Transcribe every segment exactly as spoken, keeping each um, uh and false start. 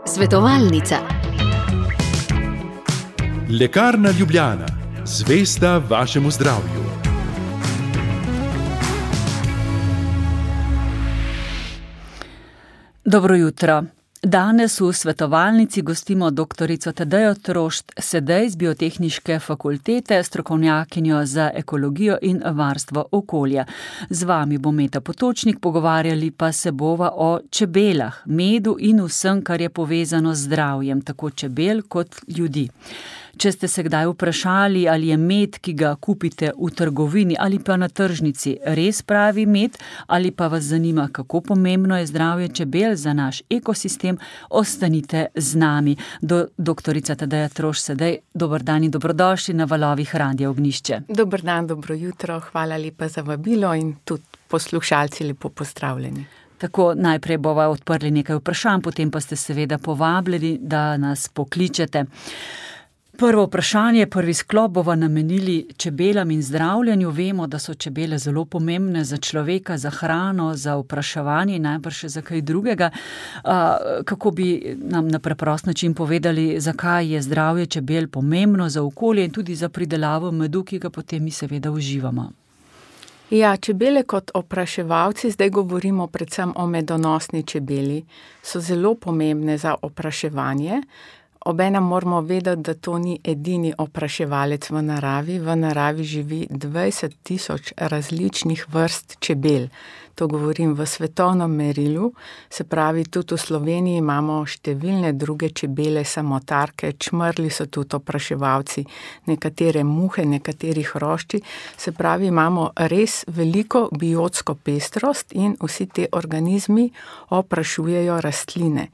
Svetovalnica. Lekarna Ljubljana, zvesta vašemu zdravju. Dobro jutro. Danes v svetovalnici gostimo doktorico Tadejo Trošt Sedej z Biotehniške fakultete, strokovnjakinjo za ekologijo in varstvo okolja. Z vami bo Meta Potočnik, pogovarjali pa se bova o čebelah, medu in vsem, kar je povezano z zdravjem, tako čebel kot ljudi. Če ste se kdaj vprašali, ali je med, ki ga kupite v trgovini ali pa na tržnici, res pravi med, ali pa vas zanima, kako pomembno je zdravje čebel za naš ekosistem, ostanite z nami. Do, doktorica Tadeja Trošt Sedej, dober dan in dobrodošli na valovih Radia Ognjišče. Dober dan, dobro jutro, hvala lepa za vabilo in tudi poslušalci lepo pozdravljeni. Tako, najprej bova odprli nekaj vprašanj, potem pa ste seveda povabljeni, da nas pokličete. Prvo vprašanje, prvi sklop bova namenili čebelam in zdravljenju. Vemo, da so čebele zelo pomembne za človeka, za hrano, za opraševanje in najbrž še za kaj drugega. Kako bi nam na preprost način povedali, zakaj je zdravje čebel pomembno za okolje in tudi za pridelavo medu, ki ga potem mi seveda uživamo? Ja, čebele kot opraševalci, zdaj govorimo predvsem o medonosni čebeli, so zelo pomembne za opraševanje. Obenem moramo vedeti, da to ni edini opraševalec v naravi. V naravi živi dvajset tisoč različnih vrst čebel. To govorim v svetovnem merilu. Se pravi, tudi v Sloveniji imamo številne druge čebele, samotarke, čmrli so tudi opraševalci, nekatere muhe, nekaterih hrošči. Se pravi, imamo res veliko biotsko pestrost in vsi te organizmi oprašujejo rastline.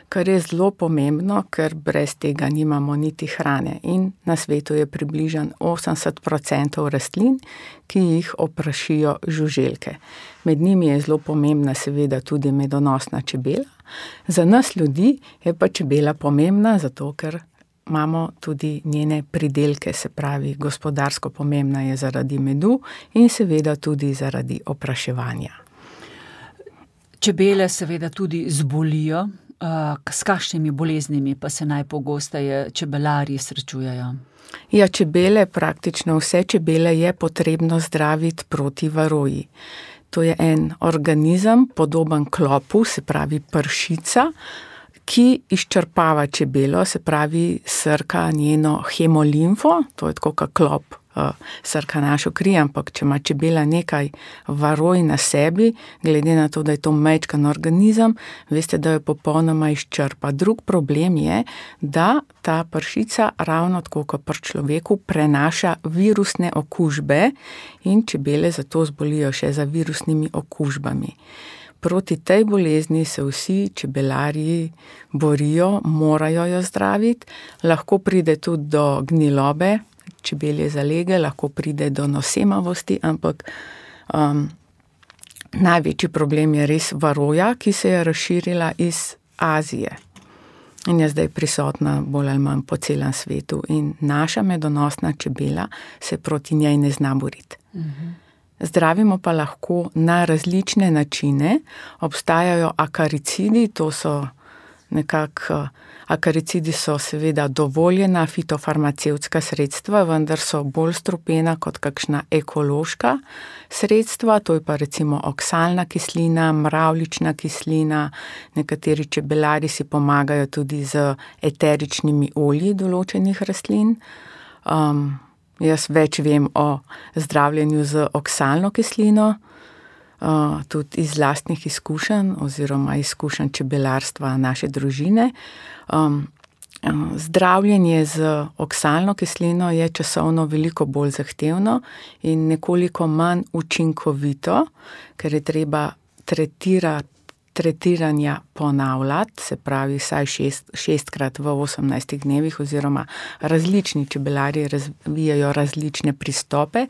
Kar je zelo pomembno, ker brez tega nimamo niti hrane. In na svetu je približno osemdeset procentov rastlin, ki jih oprašijo žuželke. Med njimi je zelo pomembna seveda tudi medonosna čebela. Za nas ljudi je pa čebela pomembna, zato ker imamo tudi njene pridelke, se pravi, gospodarsko pomembna je zaradi medu in seveda tudi zaradi opraševanja. Čebele seveda tudi zbolijo. S kakšnimi boleznimi pa se najpogosteje čebelarji srečujejo? Ja, čebele, praktično vse čebele je potrebno zdraviti proti varoji. To je en organizem, podoben klopu, se pravi pršica, ki izčrpava čebelo, se pravi srka njeno hemolimfo, to je tako kot klop, srka našo kri, ampak če ima čebela nekaj varoj na sebi, glede na to, da je to majčken organizem, veste, da jo popolnoma izčrpa. Drug problem je, da ta pršica ravno tako kot pri človeku prenaša virusne okužbe in čebele zato zbolijo še za virusnimi okužbami. Proti tej bolezni se vsi čebelarji borijo, morajo jo zdraviti, lahko pride tudi do gnilobe, čebelje zalege, lahko pride do nosemavosti, ampak um, največji problem je res varoja, ki se je razširila iz Azije in je zdaj prisotna bolj ali manj po celem svetu in naša medonosna čebela se proti njej ne zna boriti. Mhm. Zdravimo pa lahko na različne načine. Obstajajo akaricidi, to so nekako, akaricidi so seveda dovoljena fitofarmacevtska sredstva, vendar so bolj strupena kot kakšna ekološka sredstva, to je pa recimo oksalna kislina, mravljična kislina, nekateri čebelari si pomagajo tudi z eteričnimi olji določenih rastlin. Um, Jaz več vem o zdravljenju z oksalno kislino, uh, tudi iz lastnih izkušenj oziroma izkušenj čebelarstva naše družine. Um, uh, zdravljenje z oksalno kislino je časovno veliko bolj zahtevno in nekoliko manj učinkovito, ker je treba tretirati tretiranja ponavljati, se pravi vsaj šest, šestkrat v osemnajstih dnevih oziroma različni čebelarji razvijajo različne pristope.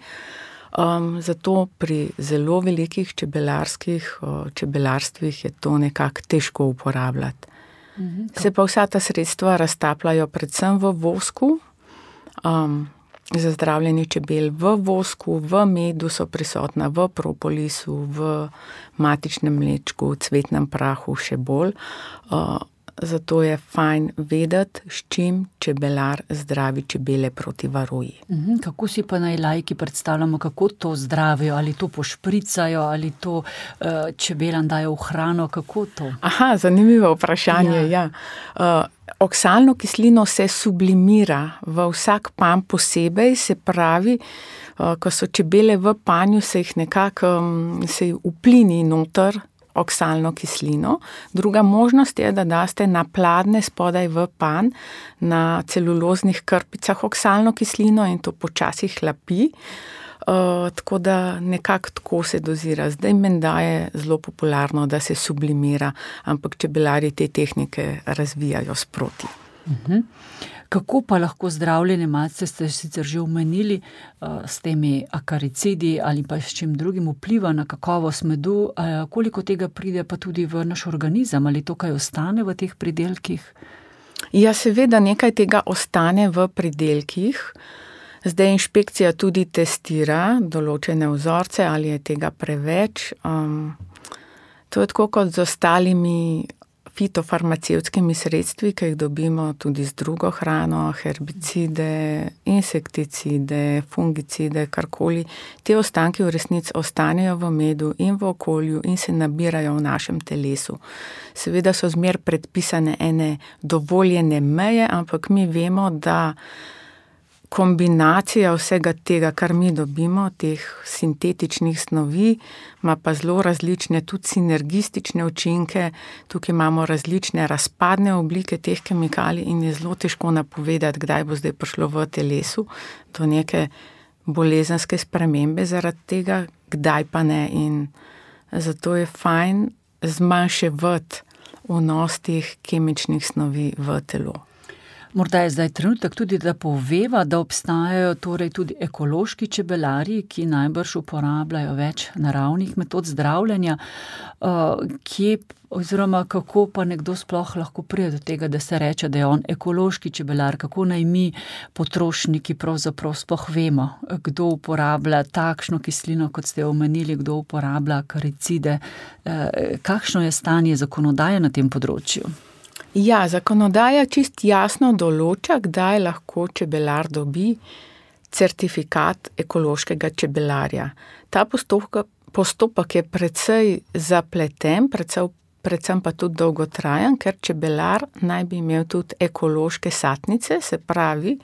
Um, zato pri zelo velikih čebelarskih uh, čebelarstvih je to nekako težko uporabljati. Mhm, se pa vsa ta sredstva raztapljajo predvsem v vosku. Um, za zdravljenje čebel v vosku, v medu so prisotna, v propolisu, v matičnem mlečku, cvetnem prahu še bolj. Zato je fajn vedeti, s čim čebelar zdravi čebele proti varoji. Kako si pa naj laiki predstavljamo, kako to zdravijo? Ali to pošpricajo, ali to uh, čebelam dajo v hrano? Kako to? Aha, zanimivo vprašanje, ja. ja. Uh, oksalno kislino se sublimira v vsak pan posebej, se pravi, uh, ko so čebele v panju, se jih nekako um, se jih uplini noter oksalno kislino. Druga možnost je, da daste na pladne spodaj v pan na celuloznih krpicah oksalno kislino in to počasi hlapi. Uh, tako da nekako tako se dozira. Zdaj menda je zelo popularno, da se sublimira, ampak čebelari te tehnike razvijajo sproti. Uh-huh. Kako pa lahko zdravljenje, malce ste sicer že omenili, s temi akaricidi ali pa s čim drugim vpliva na kakovost medu, koliko tega pride pa tudi v naš organizem, ali to kaj ostane v teh pridelkih? Ja, seveda nekaj tega ostane v pridelkih. Zdaj inšpekcija tudi testira določene vzorce, ali je tega preveč. Um, to je tako kot z ostalimi fitofarmacevtskimi sredstvi, ki jih dobimo tudi z drugo hrano, herbicide, insekticide, fungicide, karkoli. Te ostanki v resnici ostanejo v medu in v okolju in se nabirajo v našem telesu. Seveda so zmer predpisane ene dovoljene meje, ampak mi vemo, da kombinacija vsega tega, kar mi dobimo, teh sintetičnih snovi, ima pa zelo različne tudi sinergistične učinke. Tukaj imamo različne razpadne oblike teh kemikalij in je zelo težko napovedati, kdaj bo zdaj prišlo v telesu do neke bolezenske spremembe zaradi tega, kdaj pa ne. In zato je fajn zmanjševati vnos teh kemičnih snovi v telo. Morda je zdaj trenutek tudi, da poveva, da obstajajo torej tudi ekološki čebelarji, ki najbrž uporabljajo več naravnih metod zdravljenja. Kje oziroma kako pa nekdo sploh lahko pride do tega, da se reče, da je on ekološki čebelar? Kako naj mi, potrošniki, pravzaprav sploh vemo, kdo uporablja takšno kislino, kot ste omenili, kdo uporablja akaricide? Kakšno je stanje zakonodaje na tem področju? Ja, zakonodaja čist jasno določa, kdaj lahko čebelar dobi certifikat ekološkega čebelarja. Ta postopek, postopek je precej zapleten, predvsem, predvsem pa tudi dolgotrajen, ker čebelar naj bi imel tudi ekološke satnice, se pravi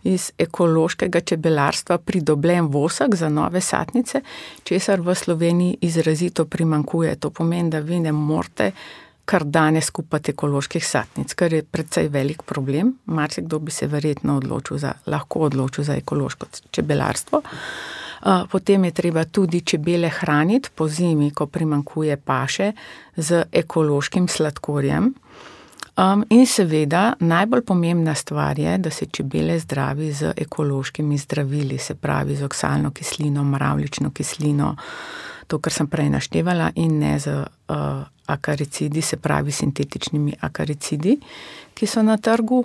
iz ekološkega čebelarstva pridobljen vosek za nove satnice, česar v Sloveniji izrazito primanjkuje. To pomeni, da vi ne morete kar danes kupati ekoloških satnic, kar je precej velik problem. Marsikdo bi se verjetno odločil za, lahko odločil za ekološko čebelarstvo. Potem je treba tudi čebele hraniti po zimi, ko primanjkuje paše, z ekološkim sladkorjem. In seveda najbolj pomembna stvar je, da se čebele zdravi z ekološkimi zdravili, se pravi z oksalno kislino, mravljično kislino, to, kar sem prej naštevala, in ne z uh, akaricidi, se pravi sintetičnimi akaricidi, ki so na trgu.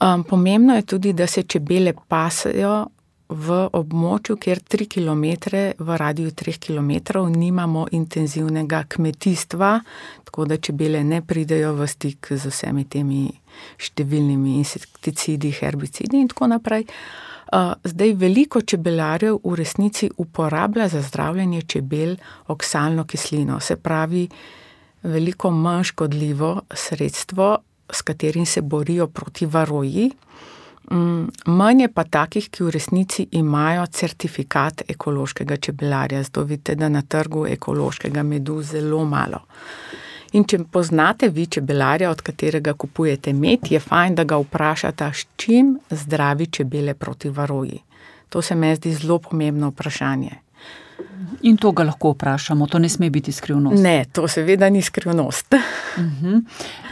Um, pomembno je tudi, da se čebele pasejo v območju, kjer tri kilometre, v radiju treh kilometrov nimamo intenzivnega kmetijstva, tako da čebele ne pridejo v stik z vsemi temi številnimi insekticidi, herbicidi in tako naprej. Zdaj veliko čebelarjev v resnici uporablja za zdravljenje čebel oksalno kislino, se pravi veliko manj škodljivo sredstvo, s katerim se borijo proti varoji. Manj je pa takih, ki v resnici imajo certifikat ekološkega čebelarja. Zato vidite, da na trgu ekološkega medu zelo malo. In če poznate vi čebelarja, od katerega kupujete med, je fajn, da ga vprašate, s čim zdravi čebele proti varoji. To se mi zdi zelo pomembno vprašanje. In to ga lahko vprašamo, to ne sme biti skrivnost. Ne, to seveda ni skrivnost. Uh-huh.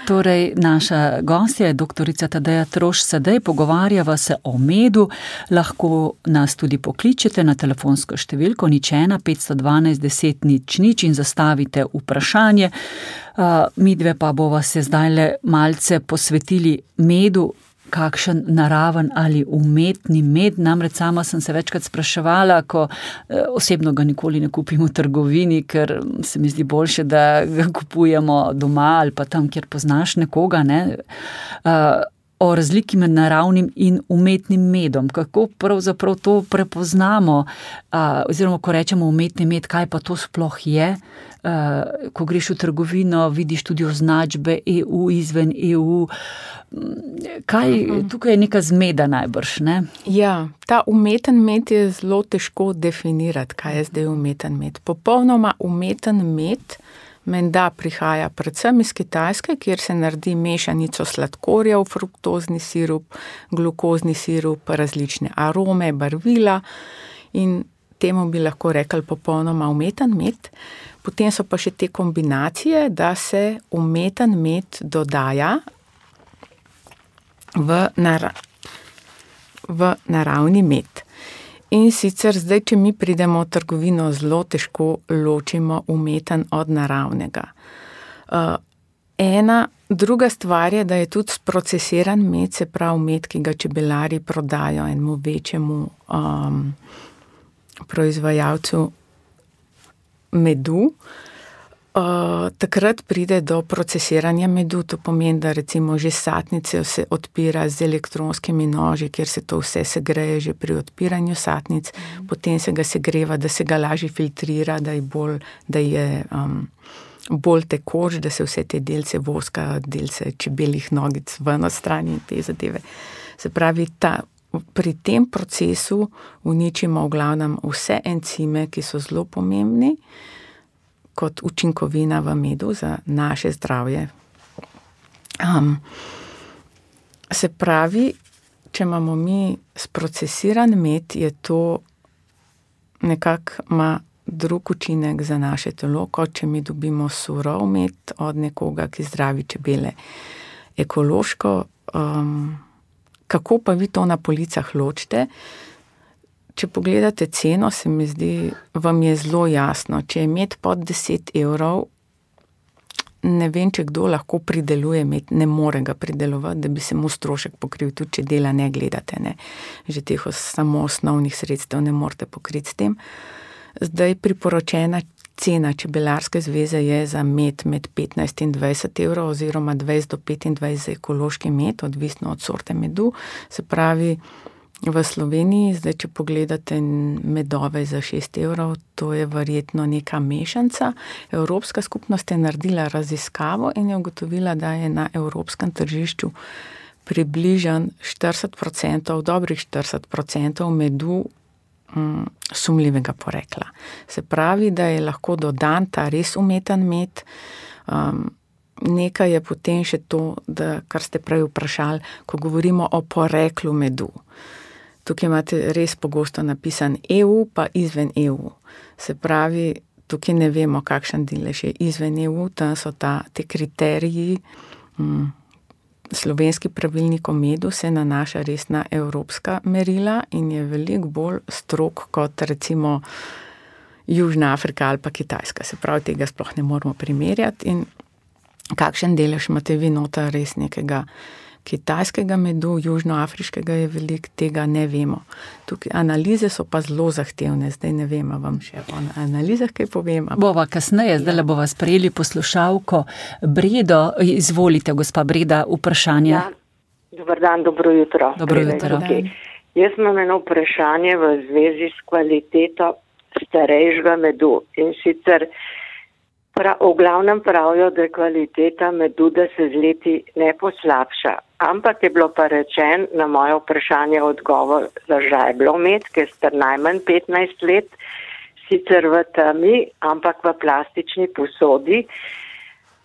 Torej, naša gostja je doktorica Tadeja Trošt Sedej, pogovarjava se o medu, lahko nas tudi pokličete na telefonsko številko nič ena petsto dvanajst deset nič nič in zastavite vprašanje. Uh, midve pa bova se zdajle malce posvetili medu, kakšen naraven ali umetni med. Namreč sama sem se večkrat spraševala, ko osebno ga nikoli ne kupim v trgovini, ker se mi zdi boljše, da ga kupujemo doma ali pa tam, kjer poznaš nekoga, ne, o razliki med naravnim in umetnim medom. Kako pravzaprav to prepoznamo, oziroma ko rečemo umetni med, kaj pa to sploh je? Ko greš v trgovino, vidiš tudi označbe E U, izven E U. Kaj, tukaj je neka zmeda najbrž, ne? Ja, ta umeten med je zelo težko definirati, kaj je zdaj umeten med. Popolnoma umeten med menda prihaja predvsem iz Kitajske, kjer se naredi mešanico sladkorjev, fruktozni sirup, glukozni sirup, različne arome, barvila in temu bi lahko rekli popolnoma umeten med. Potem so pa še te kombinacije, da se umeten med dodaja v, nara- v naravni med. In sicer zdaj, če mi pridemo v trgovino, zelo težko ločimo umeten od naravnega. Uh, ena, druga stvar je, da je tudi sprocesiran med, se pravi med, ki ga čebelari prodajo enemu večjemu um, proizvajalcu medu. Uh, takrat pride do procesiranja medu, to pomeni, da recimo že satnice se odpira z elektronskimi noži, kjer se to vse segreje že pri odpiranju satnic, mm. potem se ga segreva, da se ga lažje filtrira, da je bolj, da je um, bolj tekoč, da se vse te delce voska, delce čebeljih nogic ven odstrani in te zadeve. Se pravi, ta, pri tem procesu uničimo v glavnem vse encime, ki so zelo pomembni, kot učinkovina v medu za naše zdravje. Um, se pravi, če imamo mi sprocesiran med, je to nekako ima drug učinek za naše telo, kot če mi dobimo surov med od nekoga, ki zdravi čebele. Ekološko, um, kako pa vi to na policah ločite? Če pogledate ceno, se mi zdi, vam je zelo jasno. Če je med pod deset evrov, ne vem, če kdo lahko prideluje med, ne more ga pridelovati, da bi se mu strošek pokril, tudi če dela ne gledate, ne. Že teh samo osnovnih sredstev ne morete pokriti s tem. Zdaj priporočena cena Čebelarske zveze je za med med petnajst in dvajset evrov oziroma dvajset do petindvajset za ekološki med, odvisno od sorte medu. Se pravi, v Sloveniji, zdaj, če pogledate medove za šest evrov, to je verjetno neka mešanca. Evropska skupnost je naredila raziskavo in je ugotovila, da je na evropskem tržišču približan štirideset procentov, dobrih štirideset procentov medu um, sumljivega porekla. Se pravi, da je lahko dodan ta res umeten med. Um, nekaj je potem še to, da, kar ste prej vprašali, ko govorimo o poreklu medu. Tukaj imate res pogosto napisan E U pa izven E U. Se pravi, tukaj ne vemo, kakšen delež je izven E U, tam so ta, te kriteriji, hm, slovenski pravilnik o medu se nanaša res na evropska merila in je veliko bolj strog kot recimo Južna Afrika ali pa Kitajska. Se pravi, tega sploh ne moramo primerjati in kakšen delež imate vi nota res nekega kitajskega medu, južnoafriškega je veliko, tega ne vemo. Tukaj analize so pa zelo zahtevne, zdaj ne vem, vam še o analizah kaj povem. Bova kasneje, zdaj le bova sprejeli poslušalko. Bredo, izvolite, gospa Breda, vprašanje. Ja, dober dan, dobro jutro. Dobro jutro. Okay. Jaz imam eno vprašanje v zvezi s kvaliteto starejšega medu in sicer Pra, v glavnem pravijo, da je kvaliteta medu, da se z leti ne poslabša. Ampak je bilo pa rečen na moje vprašanje odgovor za žajblov med, ki je star najmanj petnajst let, sicer v temi, ampak v plastični posodi.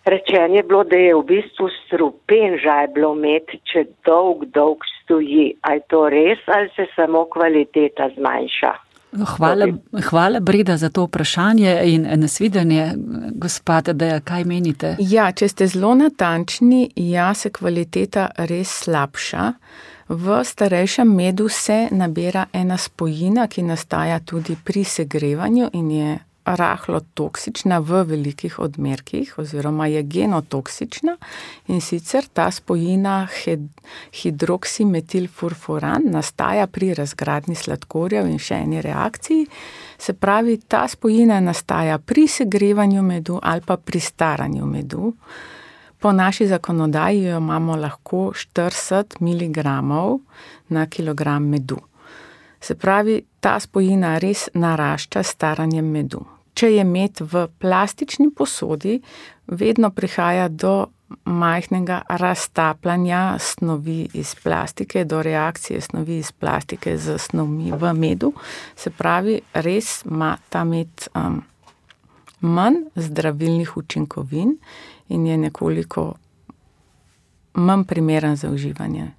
Rečen je bilo, da je v bistvu strupen žajblov med, če dolg, dolg stoji. A je to res ali se samo kvaliteta zmanjša? Hvala, hvala Breda za to vprašanje in nasvidenje, gospa Tadeja, kaj menite? Ja, če ste zelo natančni, ja, se kvaliteta res slabša. V starejšem medu se nabira ena spojina, ki nastaja tudi pri segrevanju in je rahlo toksična v velikih odmerkih oziroma je genotoksična in sicer ta spojina hidroksimetilfurfuran nastaja pri razgradnji sladkorjev in še eni reakciji. Se pravi, ta spojina nastaja pri segrevanju medu ali pa pri staranju medu. Po naši zakonodaji jo imamo lahko štirideset miligramov na kilogram medu. Se pravi, ta spojina res narašča s staranjem medu. Če je med v plastični posodi, vedno prihaja do majhnega raztapljanja snovi iz plastike, do reakcije snovi iz plastike z snovmi v medu. Se pravi, res ima ta med um, manj zdravilnih učinkovin in je nekoliko manj primeren za uživanje.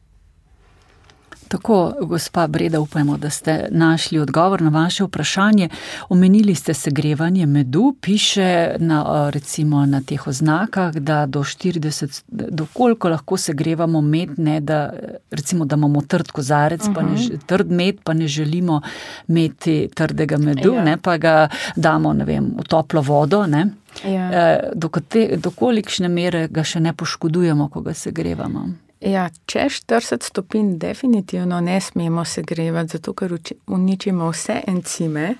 Tako, gospa Breda, upajmo, da ste našli odgovor na vaše vprašanje. Omenili ste segrevanje medu, piše na, recimo na teh oznakah, da do štirideset, do koliko lahko segrevamo med, ne, da, recimo, da imamo trd kozarec, uh-huh. pa ne, trd med, pa ne želimo imeti trdega medu, ja. ne, pa ga damo, ne vem, v toplo vodo, ne. Ja. Do, do kolikšne mere ga še ne poškodujemo, ko ga segrevamo? Ja, če štirideset stopinj definitivno ne smemo segrevati, zato ker uničimo vse encime.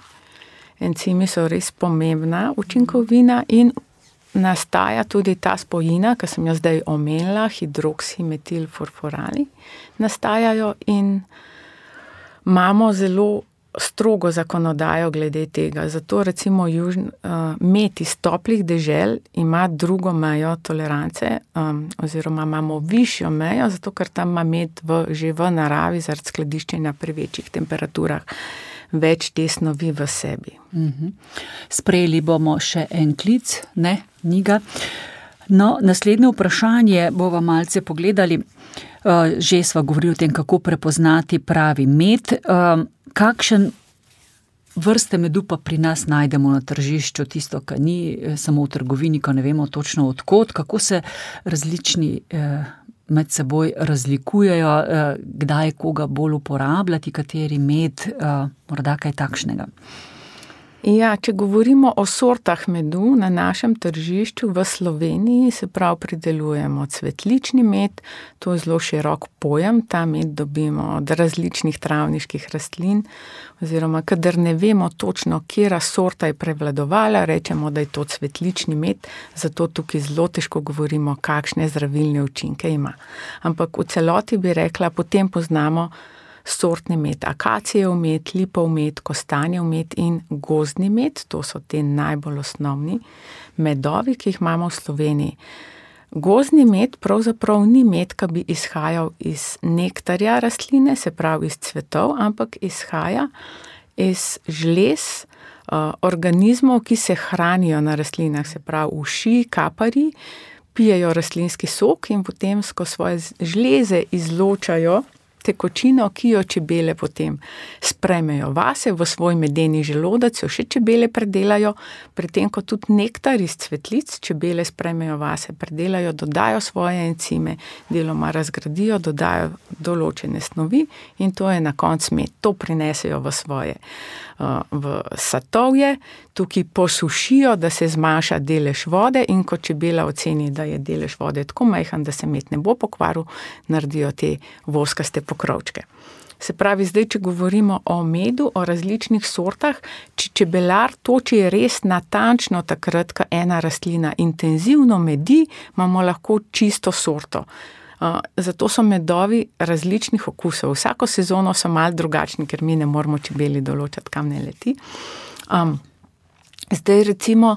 Encimi so res pomembna učinkovina in nastaja tudi ta spojina, ki sem jo zdaj omenila, hidroksimetilfurfurani, nastajajo in imamo zelo strogo zakonodajo glede tega. Zato recimo južn, uh, med iz toplih dežel ima drugo mejo tolerance um, oziroma imamo višjo mejo, zato ker tam ima med v, že v naravi zaradi skladiščenja pri večjih temperaturah več te snovi v sebi. Mhm. Sprejeli bomo še en klic, ne, Niga. No, naslednje vprašanje bova malce pogledali. Uh, že sva govorili o tem, kako prepoznati pravi med. Uh, kakšen vrste medu pa pri nas najdemo na tržišču, tisto, kar ni samo v trgovini, ko ne vemo točno odkot, kako se različni uh, med seboj razlikujejo, uh, kdaj koga bolj uporabljati, kateri med, uh, morda kaj takšnega. Ja, če govorimo o sortah medu na našem tržišču v Sloveniji, se prav pridelujemo cvetlični med, to je zelo širok pojem, ta med dobimo od različnih travniških rastlin, oziroma kadar ne vemo točno, katera sorta je prevladovala, rečemo, da je to cvetlični med, zato tukaj zelo težko govorimo, kakšne zdravilne učinke ima. Ampak v celoti bi rekla, potem poznamo sortni med, akacijev med, lipov med, kostanjev med in gozdni med, to so te najbolj osnovni medovi, ki jih imamo v Sloveniji. Gozdni med pravzaprav ni med, ki bi izhajal iz nektarja rastline, se pravi iz cvetov, ampak izhaja iz žlez uh, organizmov, ki se hranijo na rastlinah, se pravi uši, kapari, pijejo rastlinski sok in potem skozi svoje žleze izločajo tekočino, ki jo čebele potem sprejmejo vase v svoj medeni želodec, jo še čebele predelajo, predtem ko tudi nektar iz cvetlic čebele sprejmejo vase, predelajo, dodajo svoje encime, deloma razgradijo, dodajo določene snovi in to je na koncu med. To prinesejo v svoje v satovje, tukaj posušijo, da se zmanjša delež vode in ko čebela oceni, da je delež vode tako majhen, da se med ne bo pokvaril, naredijo te voskaste pokrovčke. Se pravi, zdaj, če govorimo o medu, o različnih sortah, če čebelar toči res natančno takrat, ko ena rastlina intenzivno medi, imamo lahko čisto sorto. Uh, zato so medovi različnih okusov. Vsako sezono so malo drugačni, ker mi ne moramo čebeli določati, kam ne leti. Um, zdaj recimo,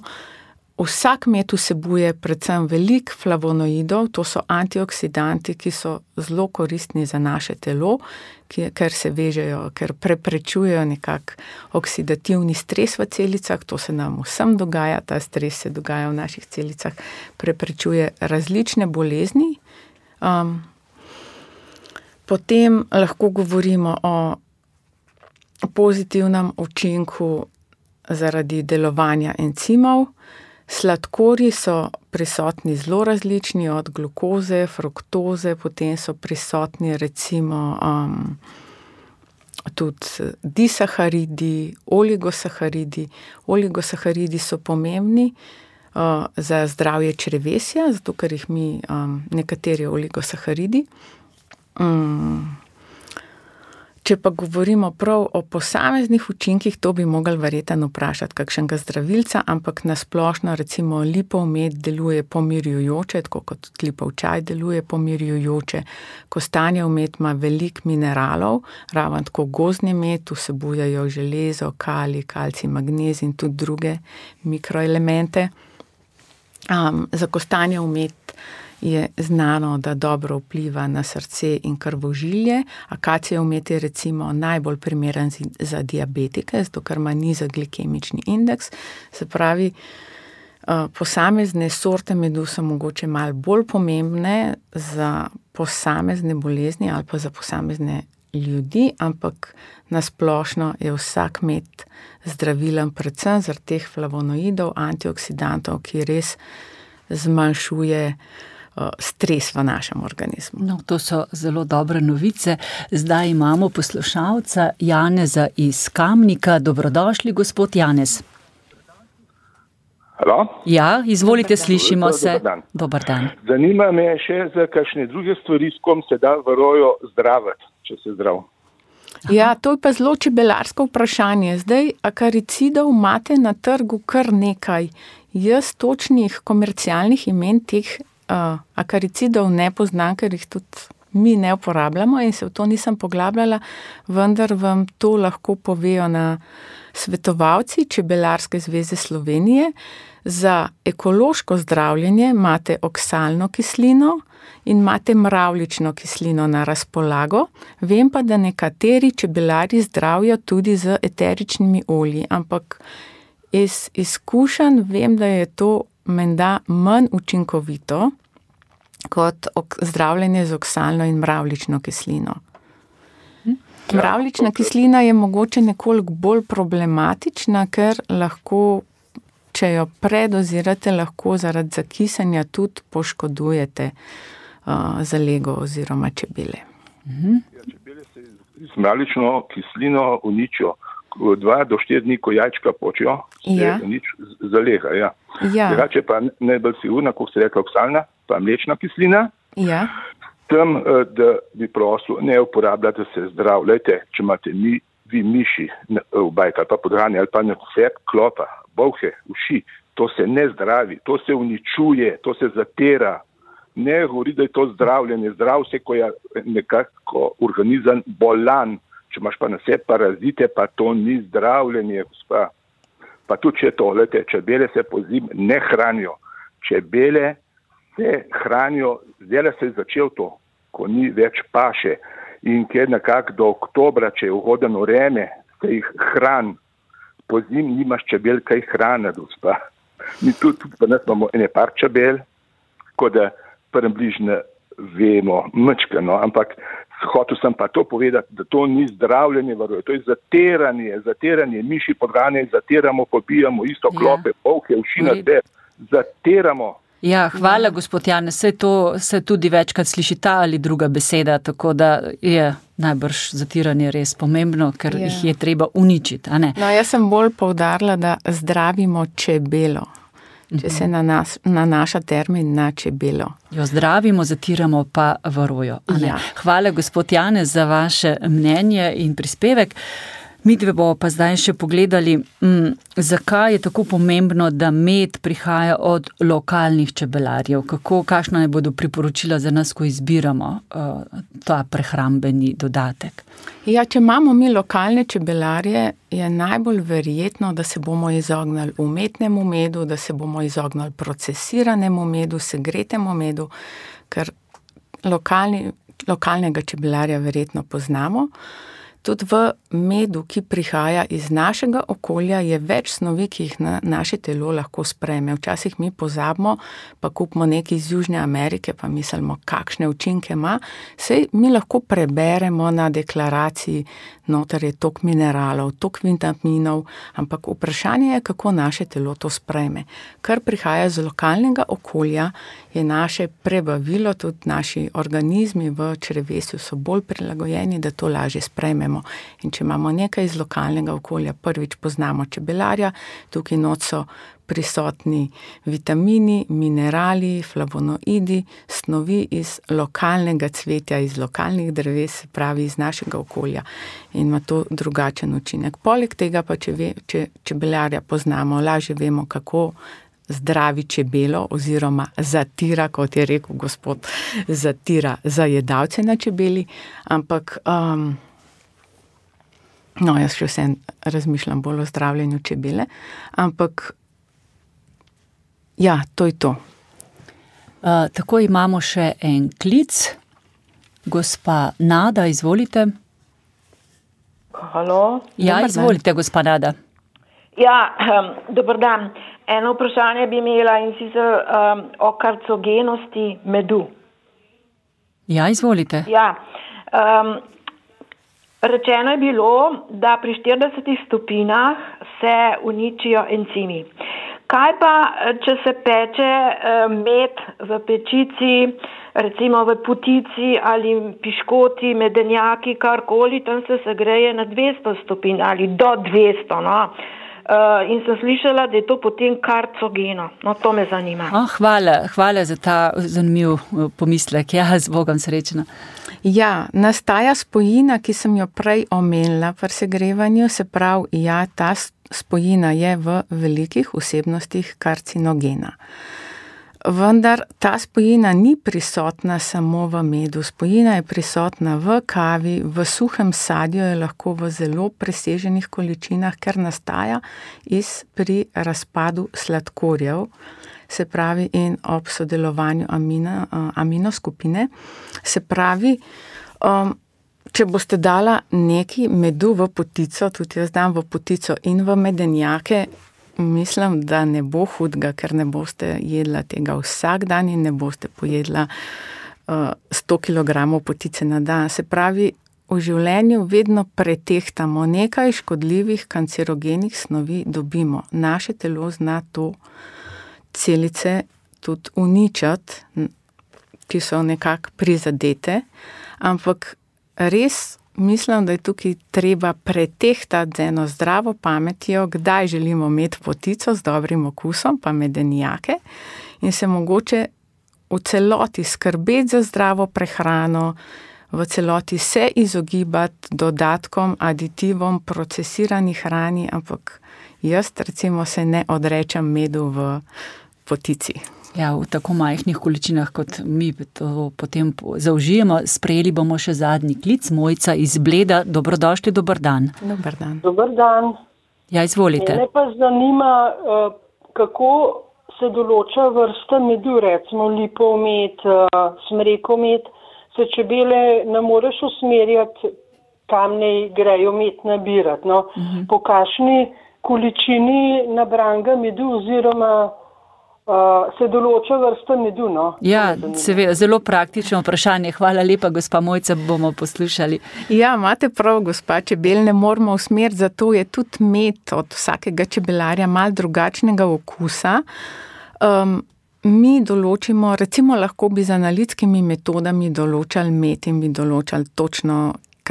vsak med vsebuje predvsem veliko flavonoidov, to so antioksidanti, ki so zelo koristni za naše telo, ki, ker se vežejo, ker preprečujejo nekak oksidativni stres v celicah, to se nam vsem dogaja, ta stres se dogaja v naših celicah, preprečuje različne bolezni. Um, potem lahko govorimo o pozitivnem učinku zaradi delovanja encimov. Sladkorji so prisotni zelo različni, od glukoze, fruktoze, potem so prisotni recimo um, tudi disaharidi, oligosaharidi. Oligosaharidi so pomembni uh, za zdravje črevesja, zato ker jih mi um, nekateri oligosaharidi. Um, Če pa govorimo prav o posameznih učinkih, to bi mogli verjetno vprašati kakšnega zdravilca, ampak nasplošno recimo lipov med deluje pomirjujoče, tako kot lipov čaj deluje pomirjujoče. Kostanjev med ima veliko mineralov, raven tako gozdni med, vsebujejo železo, kalij, kalcij, magnezij in tudi druge mikroelemente. Um, za kostanjev med je znano, da dobro vpliva na srce in krvožilje. Akacijev med je recimo najbolj primeren za diabetike, zato ker ima nizek glikemični indeks. Se pravi, posamezne sorte medu so mogoče malo bolj pomembne za posamezne bolezni ali pa za posamezne ljudi, ampak nasplošno je vsak med zdravilen predvsem zaradi teh flavonoidov, antioksidantov, ki res zmanjšuje stres v našem organizmu. No, to so zelo dobre novice. Zdaj imamo poslušalca Janeza iz Kamnika. Dobrodošli, gospod Janez. Halo? Ja, izvolite, slišimo se. Dobar dan. Dobar dan. Zanima me še za kakšne druge stvari, s kom se da v roju zdraviti, če se zdrav. Aha. Ja, to je pa zelo čebelarsko vprašanje. Zdaj, akaricidov imate na trgu kar nekaj. Jaz točnih komercialnih imen teh Uh, akaricidov ne poznam, ker jih tudi mi ne uporabljamo in se v to nisem poglabljala, vendar vam to lahko povejo na svetovalci Čebelarske zveze Slovenije. Za ekološko zdravljenje imate oksalno kislino in imate mravljično kislino na razpolago. Vem pa, da nekateri čebelari zdravijo tudi z eteričnimi olji, ampak iz izkušenj vem, da je to menda manj učinkovito kot zdravljenje z oksalno in mravljično kislino. Mravljična kislina je mogoče nekoliko bolj problematična, ker lahko, če jo predozirate, lahko zaradi zakisanja tudi poškodujete uh, zalego oziroma čebele. Ja, čebele se z mravljično kislino uničijo. Dva do štiri dni, ko jajčka počijo, se ja. nič zalega. Ja. Ja. Drugače pa najbolj sigurna, kot ste rekli, oksalna, pa mlečna kislina. Ja. Tem, da bi prosil, ne uporabljate se zdrav. Lejte, če imate mi, vi miši v bajka, pa podhranji ali pa na vse klopa, bolhe, uši, to se ne zdravi, to se uničuje, to se zatera. Ne govori, da je to zdravljenje. Zdrav se, ko je nekako organizem bolan. Če imaš pa na sebi parazite, pa to ni zdravljenje, gospa. Pa tudi če to, lete, čebele se pozim ne hranijo. Čebele se hranijo, zdaj se je začel to, ko ni več paše. In ker nekako do oktobra, če je uhodeno vreme, se jih hran. Pozim nimaš čebel kaj hraniti, gospa. Mi tudi, tudi pa nas imamo ene par čebel, ko da približno vemo, mčkano, ampak hotel sem pa to povedati, da to ni zdravljenje varoje, to je zatiranje, zatiranje, miši podhranjene, zatiramo, pobijamo isto klope, ja. Polke, uši na te, zatiramo. Ja, hvala, gospod Janez, se to se tudi večkrat sliši ta ali druga beseda, tako da je najbrž zatiranje res pomembno, ker ja. jih je treba uničiti, a ne? No, jaz sem bolj poudarila, da zdravimo čebelo. Če se nanas, nanaša termin na čebelo. Jo zdravimo, zatiramo pa varojo. Ja. Hvala, gospod Janez, za vaše mnenje in prispevek. Mi dve bomo pa zdaj še pogledali, m, zakaj je tako pomembno, da med prihaja od lokalnih čebelarjev. Kako, kakšna ne bodo priporočila za nas, ko izbiramo uh, ta prehrambeni dodatek? Ja, če imamo mi lokalne čebelarje, je najbolj verjetno, da se bomo izognili umetnemu medu, da se bomo izognili procesiranemu medu, segretemu medu, ker lokalni, lokalnega čebelarja verjetno poznamo. Tudi v medu, ki prihaja iz našega okolja, je več snovi, ki jih na naše telo lahko sprejme. Včasih mi pozabimo, pa kupimo nekaj iz Južne Amerike, pa mislimo, kakšne učinke ima. Sej mi lahko preberemo na deklaraciji, noter je tok mineralov, tok vitaminov, ampak vprašanje je, kako naše telo to sprejme. Kar prihaja z lokalnega okolja, je naše prebavilo, tudi naši organizmi v črevesju so bolj prilagojeni, da to lažje sprejmemo. potrebujemo. In če imamo nekaj iz lokalnega okolja, prvič poznamo čebelarja, tukaj not so prisotni vitamini, minerali, flavonoidi, snovi iz lokalnega cvetja, iz lokalnih dreves, se pravi iz našega okolja in ima to drugačen učinek. Poleg tega pa, če, ve, če čebelarja poznamo, lažje vemo, kako zdravi čebelo oziroma zatira, kot je rekel gospod, zatira zajedavce na čebeli, ampak um, no, jaz še vsem razmišljam bolj o zdravljenju čebele, ampak ja, to je to. Uh, tako imamo še en klic. Gospa Nada, izvolite. Halo. Ja, Dobar izvolite, gospa Nada. Ja, um, dober dan. Eno vprašanje bi imela in sicer um, o karcogenosti medu. Ja, izvolite. Ja, um, rečeno je bilo, da pri štiridesetih stopinjah se uničijo encimi. Kaj pa, če se peče med v pečici, recimo v potici ali piškoti, medenjaki, karkoli, tam se segreje na dvesto stopinj ali do dvesto, no. In sem slišala, da je to potem karcogeno. No, to me zanima. Oh, hvala, hvala za ta zanimiv pomislek. Ja, z Bogom srečno. Ja, nastaja spojina, ki sem jo prej omenila pri segrevanju, se pravi, ja, ta spojina je v velikih vsebnostih karcinogena. Vendar ta spojina ni prisotna samo v medu, spojina je prisotna v kavi, v suhem sadju je lahko v zelo preseženih količinah, ker nastaja iz pri razpadu sladkorjev, se pravi in ob sodelovanju amina, aminoskupine, se pravi, um, če boste dala neki medu v potico, tudi jaz dam v potico in v medenjake, mislim, da ne bo hudega, ker ne boste jedla tega vsak dan in ne boste pojedla uh, sto kilogramov potice na dan. Se pravi, v življenju vedno pretehtamo nekaj škodljivih kancerogenih snovi dobimo. Naše telo zna to celice tudi uničati, ki so nekako prizadete, ampak res mislim, da je tukaj treba pretehtati z eno zdravo pametjo, kdaj želimo imeti potico z dobrim okusom, pa medenjake in se mogoče v celoti skrbeti za zdravo prehrano, v celoti se izogibati dodatkom, aditivom, procesirani hrani, ampak jaz recimo se ne odrečem medu v potici. Ja, v tako majhnih količinah, kot mi to potem zaužijemo. Sprejeli bomo še zadnji klic. Mojca iz Bleda. Dobrodošli, dober dan. Dober dan. Dober dan. Ja, izvolite. Mene pa zanima, kako se določa vrsta medu, recimo lipov med, smrekov med, se čebele ne moreš usmerjati, kam ne grejo med nabirati. No? Uh-huh. Po kakšni količini nabranega medu oziroma Uh, se določa vrsta medu, no? Ja, seveda, zelo praktično vprašanje. Hvala lepa, gospa Mojca, bomo poslušali. Ja, imate prav, gospa, čebel ne moramo usmeriti, zato je tudi med od vsakega čebelarja malo drugačnega okusa. Um, mi določimo, recimo lahko bi z analitskimi metodami določali med in bi določali točno,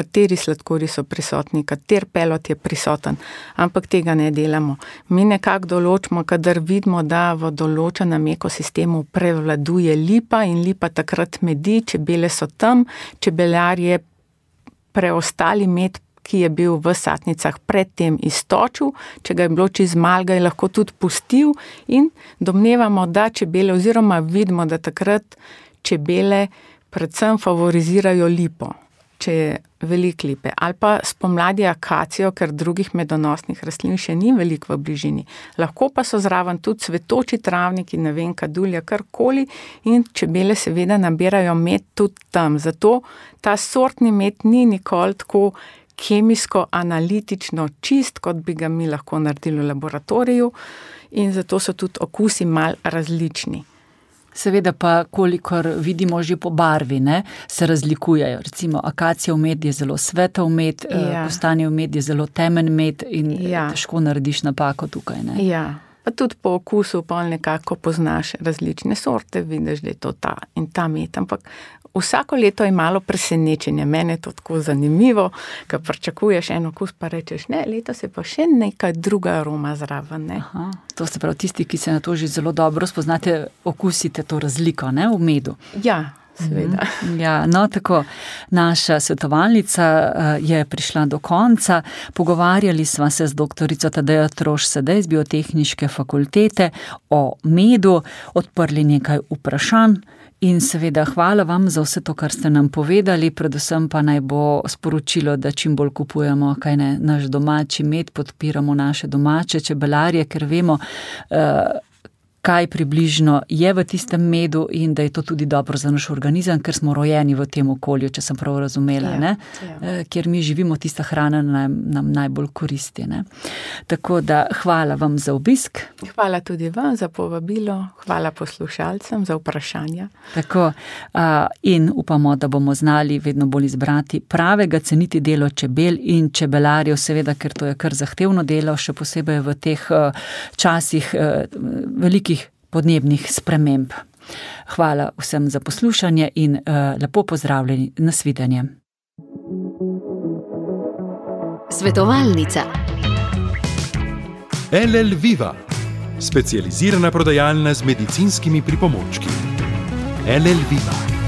kateri sladkori so prisotni, kater pelot je prisoten, ampak tega ne delamo. Mi nekako določimo, kadar vidimo, da v določenem ekosistemu prevladuje lipa in lipa takrat medi, čebele so tam, čebelar je preostali med, ki je bil v satnicah predtem iztočil, če ga je bilo čez malo, ga je lahko tudi pustil in domnevamo, da čebele oziroma vidimo, da takrat čebele predvsem favorizirajo lipo, če je veliko lipe, ali pa spomladi akacijo, ker drugih medonosnih rastlin še ni veliko v bližini. Lahko pa so zraven tudi cvetoči travniki, ne vem, kadulja, karkoli in čebele seveda nabirajo med tudi tam. Zato ta sortni med ni nikoli tako kemijsko, analitično čist, kot bi ga mi lahko naredili v laboratoriju in zato so tudi okusi mal različni. Seveda pa, kolikor vidimo že po barvi, ne, se razlikujejo. Recimo, akacijev med je zelo svetel med, ja. Kostanjev med je zelo temen med in ja. Težko narediš napako tukaj. Ne? Ja, Pa tudi po okusu pa nekako poznaš različne sorte, vidiš, da je to ta in ta med, ampak vsako leto je malo presenečenje. Mene je to tako zanimivo, ker pričakuješ en okus, pa rečeš, ne, letos je pa še neka druga aroma zraven, ne. Aha, to se pravi, tisti, ki se na to že zelo dobro spoznate, okusite to razliko, ne, v medu. Ja, seveda. Ja, no, tako, naša svetovalnica je prišla do konca. Pogovarjali sva se z doktorico Tadejo Trošt-Sedej z Biotehniške fakultete o medu, odprli nekaj vprašanj in seveda hvala vam za vse to, kar ste nam povedali, predvsem pa naj bo sporočilo, da čim bolj kupujemo, kaj ne, naš domači med, podpiramo naše domače čebelarje, ker vemo, uh, kaj približno je v tistem medu in da je to tudi dobro za naš organizem, ker smo rojeni v tem okolju, če sem prav razumela, ja, ne? Ja. Kjer mi živimo, tista hrana nam, nam najbolj koristi, ne? Tako da hvala vam za obisk. Hvala tudi vam za povabilo, hvala poslušalcem za vprašanja. Tako, in upamo, da bomo znali vedno bolj izbrati pravega, ceniti delo čebel in čebelarjev, seveda, ker to je kar zahtevno delo, še posebej v teh časih velikih podnebnih sprememb. Hvala vsem za poslušanje in uh, lepo pozdravljeni, nasvidenje. Svetovalnica. L L Viva, specializirana prodajalna z medicinskimi pripomočki. L L Viva.